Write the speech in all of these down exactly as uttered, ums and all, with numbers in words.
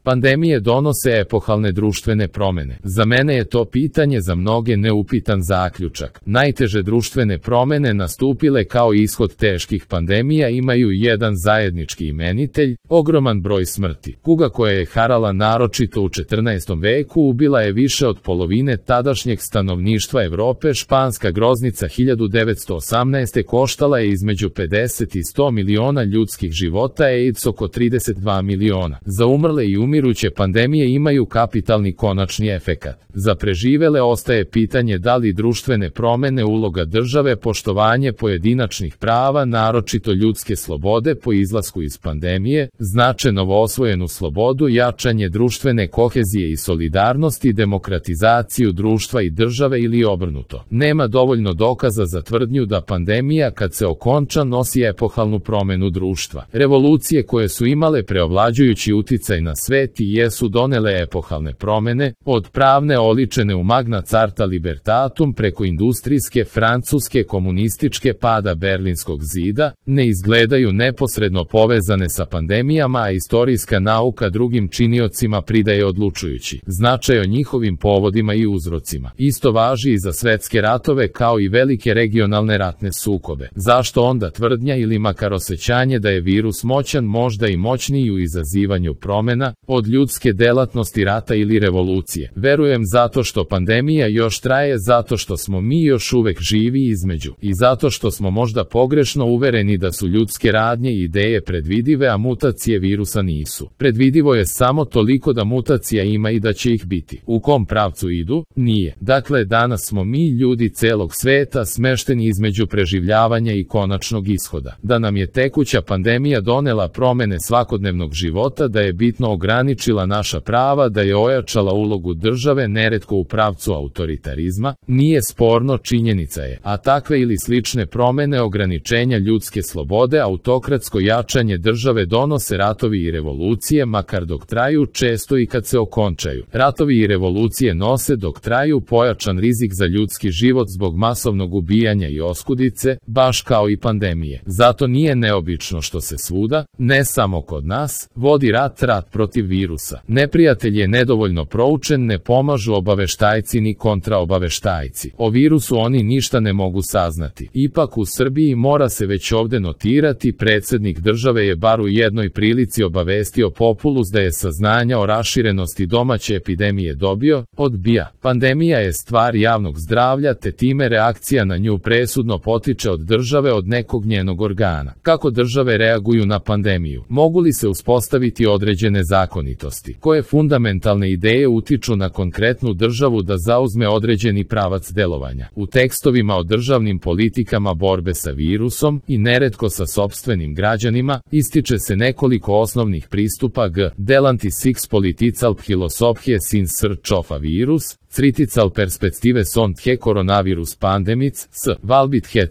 Pandemije donose epohalne društvene promene. Za mene je to pitanje za mnoge neupitan zaključak. Najteže društvene promene nastupile kao ishod teških pandemija imaju jedan zajednički imenitelj, ogroman broj smrti. Kuga koja je harala naročito u četrnaestom veku ubila je više od polovine tadašnjeg stanovništva Evrope. Španska groznica hiljadu devetsto osamnaeste. koštala je između pedeset i sto miliona ljudskih života, AIDS oko trideset dva miliona. Za umrle i umiruće pandemije imaju kapitalni konačni efekat. Za preživele ostaje pitanje da li društvene promene, uloga države, poštovanje pojedinačnih prava, naročito ljudske slobode po izlasku iz pandemije, znače novoosvojenu slobodu, jačanje društvene kohezije i solidarnosti, demokratizaciju društva i države ili obrnuto. Nema dovoljno dokaza za tvrdnju da pandemija kad se okonča nosi epohalnu promenu društva. Revolucije koje su imale preovlađujući uticaj na svet i jesu donele epohalne promene, od pravne oličene u Magna Carta Libertatum preko industrijske, francuske, komunističke pada Berlinskog zida, ne izgledaju neposredno povezane sa pandemijama, a istorijska nauka drugim činiocima pridaje odlučujući značaj o njihovim povodima i uzrocima. Isto važi i za svetske ratove kao i velike regionalne ratne sukobe. Zašto onda tvrdnja ili makar osjećanje da je virus moćan, možda i moćniji u izazivanju promena, od ljudske delatnosti rata ili revolucije? Verujem zato što pandemija još traje, zato što smo mi još uvek živi između i zato što smo možda pogrešno uvereni da su ljudske radnje i ideje predvidive, a mutacije virusa nisu. Predvidivo je samo toliko da mutacija ima i da će ih biti. U kom pravcu idu? Nije. Dakle, danas smo mi ljudi celog sveta smešteni između preživljavanja i konačnog ishoda. Da nam je tekuća pandemija donela promene svakodnevnog života, da je bitno ograničila naša prava, da je ojačala ulogu države, neretko u pravcu autoritarizma, nije sporno, činjenica je. A takve ili slične promene ograničenja ljudske slobode, autokratsko jačanje države donose ratovi i revolucije, makar dok traju, često i kad se okončaju. Ratovi i revolucije nose dok traju pojačan rizik za ljudski život zbog masovnog ubijanja i oskudice, baš kao i pandemije. Zato nije neobično što se svuda, ne samo kod nas, vodi rat, rat protiv virusa. Neprijatelj je nedovoljno proučen, ne pomažu obaveštajci ni kontraobaveštajci. O virusu oni ništa ne mogu saznati. Ipak u Srbiji mora se već ovde notirati, predsjednik države je bar u jednoj prilici obavestio populus da je saznanja o raširenosti domaće epidemije dobio, odbija. Pandemija je stvar javnog zdravlja, te time reakcija na nju presudno potiče od države, od nekog njenog organa. Kako države reaguju na pandemiju? Mogu li se uspostaviti određene zakonitosti? Koje fundamentalne ideje utiču na konkretnu državu da zauzme određeni pravac delovanja? U tekstovima o državnim politikama borbe sa virusom i neretko sa sopstvenim građanima ističe se nekoliko osnovnih pristupa g. Delanti six political philosophies in search of a virus, critical perspective on the coronavirus pandemics, s. Valbit hed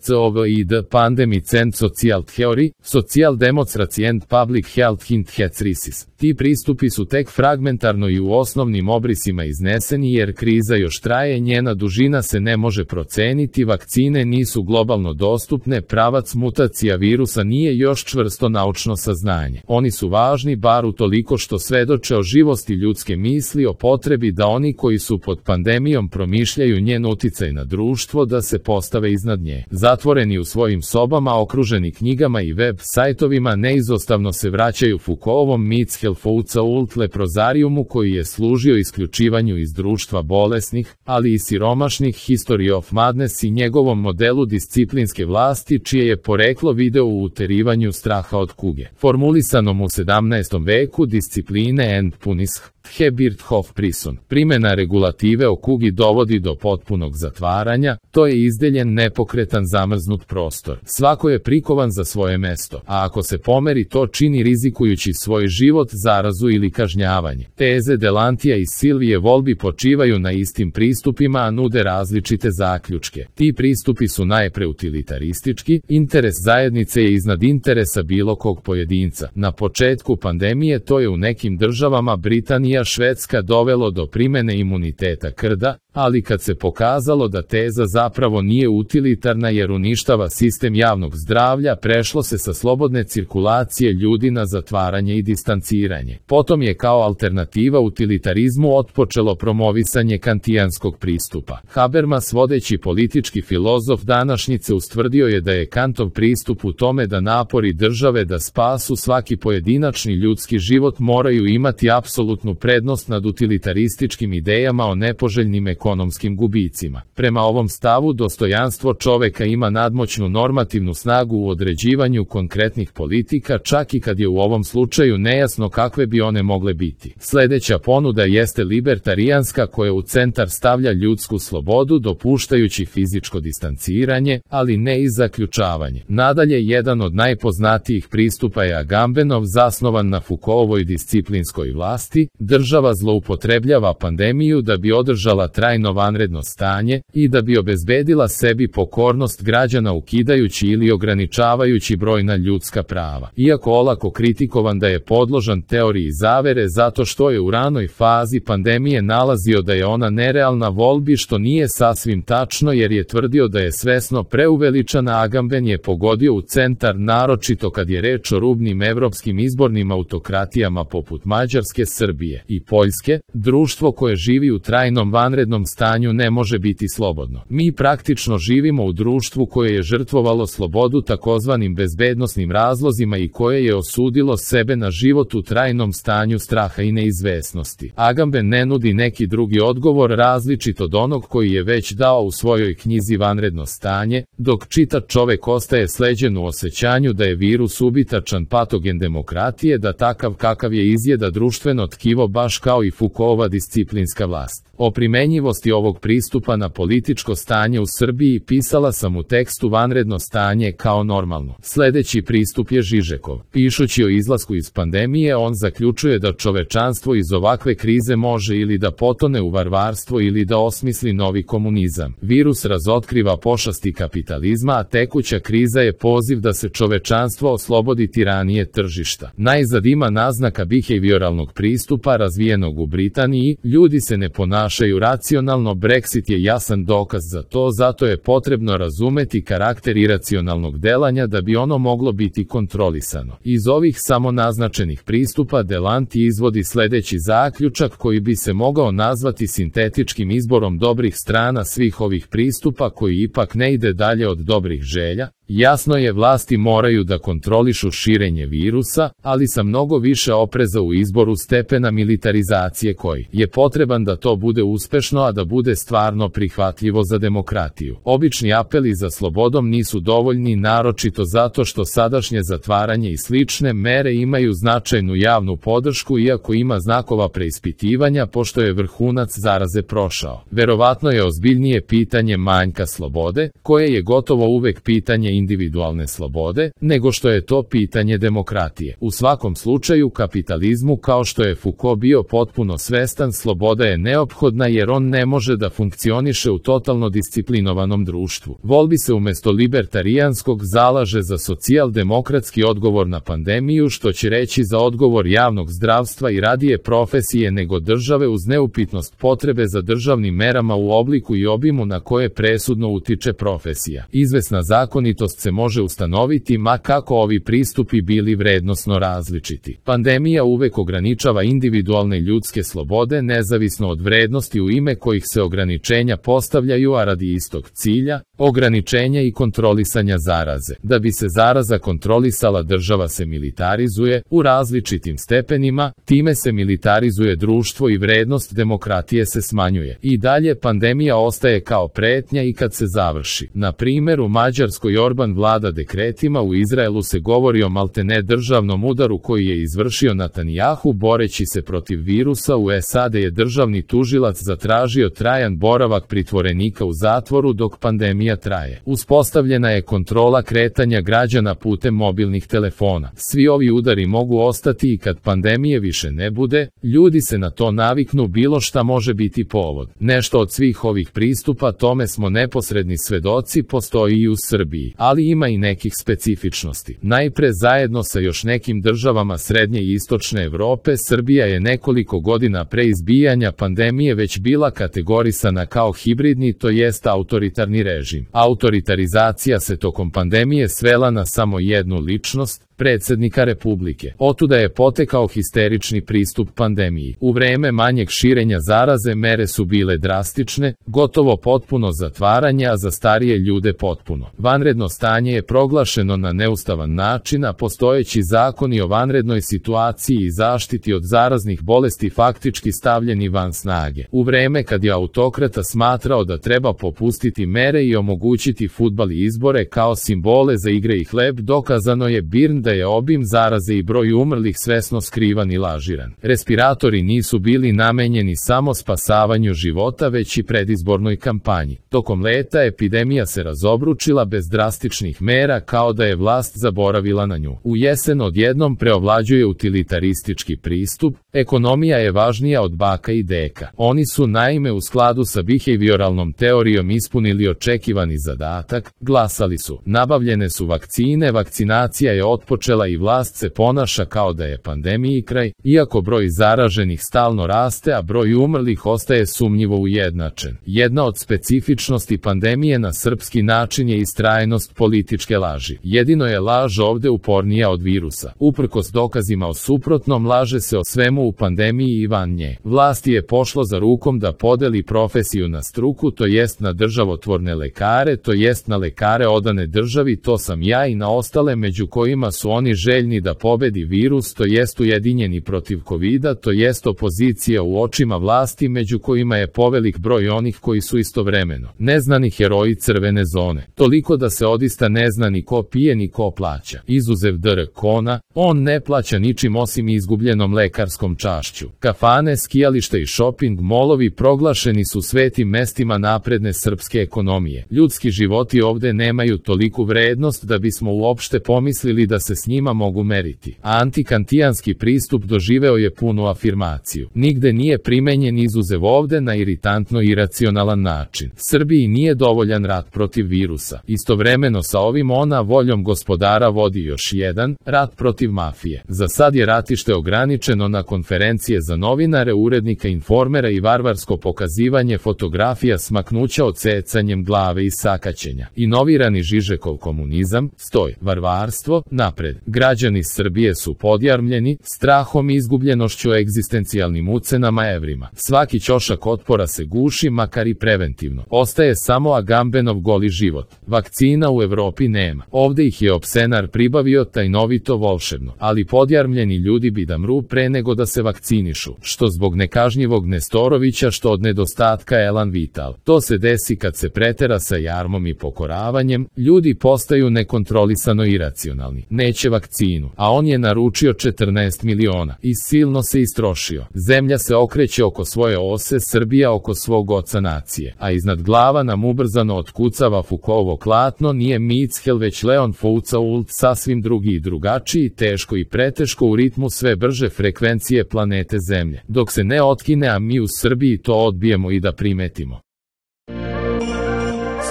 pandemics and social theory, social democracy and public health in the crisis. Ti pristupi su tek fragmentarno i u osnovnim obrisima izneseni jer kriza još traje, njena dužina se ne može proceniti, vakcine nisu globalno dostupne, pravac mutacija virusa nije još čvrsto naučno saznanje. Oni su važni bar utoliko što svedoče o živosti ljudske misli, o potrebi da oni koji su pod pandemijom promišljaju njen uticaj na društvo, da se postave iznad nje. Zatvoreni u svojim sobama, okruženi knjigama i web sajtovima, neizostavno se vraćaju Foucaultovom Mitzhelfouca ult leprozariumu koji je služio isključivanju iz društva bolesnih, ali i siromašnih, History of Madness i njegovom modelu disciplinske vlasti čije je poreklo video u uterivanju straha od kuge. Formulisanom u sedamnaestom veku discipline and punish Hebirthof prison. Primjena regulative o kugi dovodi do potpunog zatvaranja, to je izdeljen nepokretan zamrznut prostor. Svako je prikovan za svoje mesto, a ako se pomeri to čini rizikujući svoj život, zarazu ili kažnjavanje. Teze Delantija i Silvije Volbi počivaju na istim pristupima, a nude različite zaključke. Ti pristupi su najpre utilitaristički, interes zajednice je iznad interesa bilo kog pojedinca. Na početku pandemije to je u nekim državama Britanija, Švedska dovelo do primene imuniteta krda, ali kad se pokazalo da teza zapravo nije utilitarna jer uništava sistem javnog zdravlja, prešlo se sa slobodne cirkulacije ljudi na zatvaranje i distanciranje. Potom je kao alternativa utilitarizmu otpočelo promovisanje kantijanskog pristupa. Habermas, vodeći politički filozof današnjice, ustvrdio je da je Kantov pristup u tome da napori države da spasu svaki pojedinačni ljudski život moraju imati apsolutnu prednost nad utilitarističkim idejama o nepoželjnim ekonomskim gubicima. Prema ovom stavu, dostojanstvo čoveka ima nadmoćnu normativnu snagu u određivanju konkretnih politika, čak i kad je u ovom slučaju nejasno kakve bi one mogle biti. Sljedeća ponuda jeste libertarijanska, koja u centar stavlja ljudsku slobodu, dopuštajući fizičko distanciranje, ali ne i zaključavanje. Nadalje, jedan od najpoznatijih pristupa je Agambenov, zasnovan na Foucaultovoj disciplinskoj vlasti. Država zloupotrebljava pandemiju da bi održala trajno vanredno stanje i da bi obezbedila sebi pokornost građana, ukidajući ili ograničavajući brojna ljudska prava. Iako olako kritikovan da je podložan teoriji zavere zato što je u ranoj fazi pandemije nalazio da je ona nerealna volbi, što nije sasvim tačno jer je tvrdio da je svesno preuveličana, Agamben je pogodio u centar, naročito kad je reč o rubnim evropskim izbornim autokratijama poput Mađarske, Srbije i Poljske. Društvo koje živi u trajnom vanrednom stanju ne može biti slobodno. Mi praktično živimo u društvu koje je žrtvovalo slobodu takozvanim bezbednosnim razlozima i koje je osudilo sebe na život u trajnom stanju straha i neizvesnosti. Agamben ne nudi neki drugi odgovor različit od onog koji je već dao u svojoj knjizi Vanredno stanje, dok čitač čovek ostaje sleđen u osjećanju da je virus ubitačan patogen demokratije, da takav kakav je izjeda društveno tkivo baš kao i Foucaultova disciplinska vlast. O primenjivosti ovog pristupa na političko stanje u Srbiji pisala sam u tekstu Vanredno stanje kao normalno. Sljedeći pristup je Žižekov. Pišući o izlasku iz pandemije, on zaključuje da čovečanstvo iz ovakve krize može ili da potone u varvarstvo ili da osmisli novi komunizam. Virus razotkriva pošasti kapitalizma, a tekuća kriza je poziv da se čovečanstvo oslobodi tiranije tržišta. Najzad ima naznaka behavioralnog pristupa razvijenog u Britaniji. Ljudi se ne ponašaju racionalno, Brexit je jasan dokaz za to, zato je potrebno razumeti karakter iracionalnog delanja da bi ono moglo biti kontrolisano. Iz ovih samo naznačenih pristupa Delanti izvodi sljedeći zaključak koji bi se mogao nazvati sintetičkim izborom dobrih strana svih ovih pristupa, koji ipak ne ide dalje od dobrih želja. Jasno je, vlasti moraju da kontrolišu širenje virusa, ali sa mnogo više opreza u izboru stepena militarizacije koji je potreban da to bude uspešno, a da bude stvarno prihvatljivo za demokratiju. Obični apeli za slobodom nisu dovoljni, naročito zato što sadašnje zatvaranje i slične mere imaju značajnu javnu podršku, iako ima znakova preispitivanja pošto je vrhunac zaraze prošao. Verovatno je ozbiljnije pitanje manjka slobode, koje je gotovo uvek pitanje individualne slobode, nego što je to pitanje demokratije. U svakom slučaju, kapitalizmu, kao što je Foucault bio potpuno svestan, sloboda je neophodna jer on ne može da funkcioniše u totalno disciplinovanom društvu. Volbi se umesto libertarijanskog zalaže za socijaldemokratski odgovor na pandemiju, što će reći za odgovor javnog zdravstva i radije profesije nego države, uz neupitnost potrebe za državnim merama u obliku i obimu na koje presudno utiče profesija. Izvesna zakonitost se može ustanoviti ma kako ovi pristupi bili vrednosno različiti. Pandemija uvek ograničava individualne ljudske slobode nezavisno od vrednosti u ime kojih se ograničenja postavljaju, a radi istog cilja, ograničenja i kontrolisanja zaraze. Da bi se zaraza kontrolisala, država se militarizuje u različitim stepenima, time se militarizuje društvo i vrednost demokratije se smanjuje. I dalje pandemija ostaje kao pretnja i kad se završi. Na primjer, u Mađarskoj Orban vlada dekretima, u Izraelu se govori o maltene državnom udaru koji je izvršio Netanjahu boreći se protiv virusa, u S A D je državni tužilac zatražio trajan boravak pritvorenika u zatvoru dok pandemija pandemija traje. Uspostavljena je kontrola kretanja građana putem mobilnih telefona. Svi ovi udari mogu ostati i kad pandemije više ne bude, ljudi se na to naviknu, bilo šta može biti povod. Nešto od svih ovih pristupa tome smo neposredni svedoci postoji i u Srbiji, ali ima i nekih specifičnosti. Najpre, zajedno sa još nekim državama srednje i istočne Evrope, Srbija je nekoliko godina pre izbijanja pandemije već bila kategorisana kao hibridni, to jest autoritarni režim. Autoritarizacija se tokom pandemije svela na samo jednu ličnost, predsjednika Republike. Otuda je potekao histerični pristup pandemiji. U vreme manjeg širenja zaraze mere su bile drastične, gotovo potpuno zatvaranje, a za starije ljude potpuno. Vanredno stanje je proglašeno na neustavan način, a postojeći zakoni o vanrednoj situaciji i zaštiti od zaraznih bolesti faktički stavljeni van snage. U vreme kad je autokrata smatrao da treba popustiti mere i omogućiti fudbal i izbore kao simbole za igre i hleb, dokazano je Birn da je obim zaraze i broj umrlih svesno skrivan i lažiran. Respiratori nisu bili namenjeni samo spasavanju života, već i predizbornoj kampanji. Tokom leta epidemija se razobručila bez drastičnih mera, kao da je vlast zaboravila na nju. U jesen odjednom preovlađuje utilitaristički pristup, ekonomija je važnija od baka i deka. Oni su naime u skladu sa behavioralnom teorijom ispunili očekivani zadatak, glasali su, nabavljene su vakcine, vakcinacija je otpočela i vlast se ponaša kao da je pandemiji kraj, iako broj zaraženih stalno raste, a broj umrlih ostaje sumnjivo ujednačen. Jedna od specifičnosti pandemije na srpski način je istrajnost političke laži. Jedino je laž ovde upornija od virusa. Uprkos dokazima o suprotnom, laže se o svemu u pandemiji i van nje. Vlasti je pošlo za rukom da podeli profesiju na struku, to jest na državotvorne lekare, to jest na lekare odane državi, to sam ja, i na ostale, među kojima su oni željni da pobedi virus, to jest ujedinjeni protiv kovida, to jest opozicija u očima vlasti, među kojima je povelik broj onih koji su istovremeno neznani heroji crvene zone. Toliko da se odista ne zna ni ko pije ni ko plaća. Izuzev dr. Kona, on ne plaća ničim osim izgubljenom lekarskom čašću. Kafane, skijalište i shopping molovi proglašeni su svetim mestima napredne srpske ekonomije. Ljudski životi ovde nemaju toliku vrednost da bismo uopšte pomislili da se s njima mogu meriti. A antikantijanski pristup doživeo je punu afirmaciju. Nigde nije primenjen izuzev ovde na iritantno iracionalan način. Srbiji nije dovoljan rat protiv virusa. Istovremeno sa ovim ona voljom gospodara vodi još jedan, rat protiv mafije. Za sad je ratište ograničeno na konferencije za novinare, urednika Informera i varvarsko pokazivanje fotografija smaknuća odsecanjem glave i sakaćenja. Inovirani Žižekov komunizam, stoj, varvarstvo, napred. Građani Srbije su podjarmljeni, strahom i izgubljenošću, egzistencijalnim ucenama, evrima. Svaki ćošak otpora se guši, makar i preventivno. Ostaje samo Agambenov goli život. Vakcina u Evropi nema. Ovde ih je opsenar pribavio tajnovito volšebno, ali podjarmljeni ljudi bi da mru pre nego da se vakcinišu, što zbog nekažnjivog Nestorovića, što od nedostatka elan vital. To se desi kad se pretera sa jarmom i pokoravanjem, ljudi postaju nekontrolisano iracionalni. Neće vakcinu, a on je naručio četrnaest miliona i silno se istrošio. Zemlja se okreće oko svoje ose, Srbija oko svog oca nacije, a iznad glava nam ubrzano otkucava Foucaultovo klatno, nije Michel već Leon Foucault, sasvim drugi i drugačiji, teško i preteško u ritmu sve brže frekvencije planete Zemlje, dok se ne otkine, a mi u Srbiji to odbijemo i da primetimo.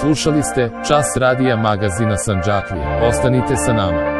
Slušali ste Čas radija magazina Sandžaklija. Ostanite sa nama.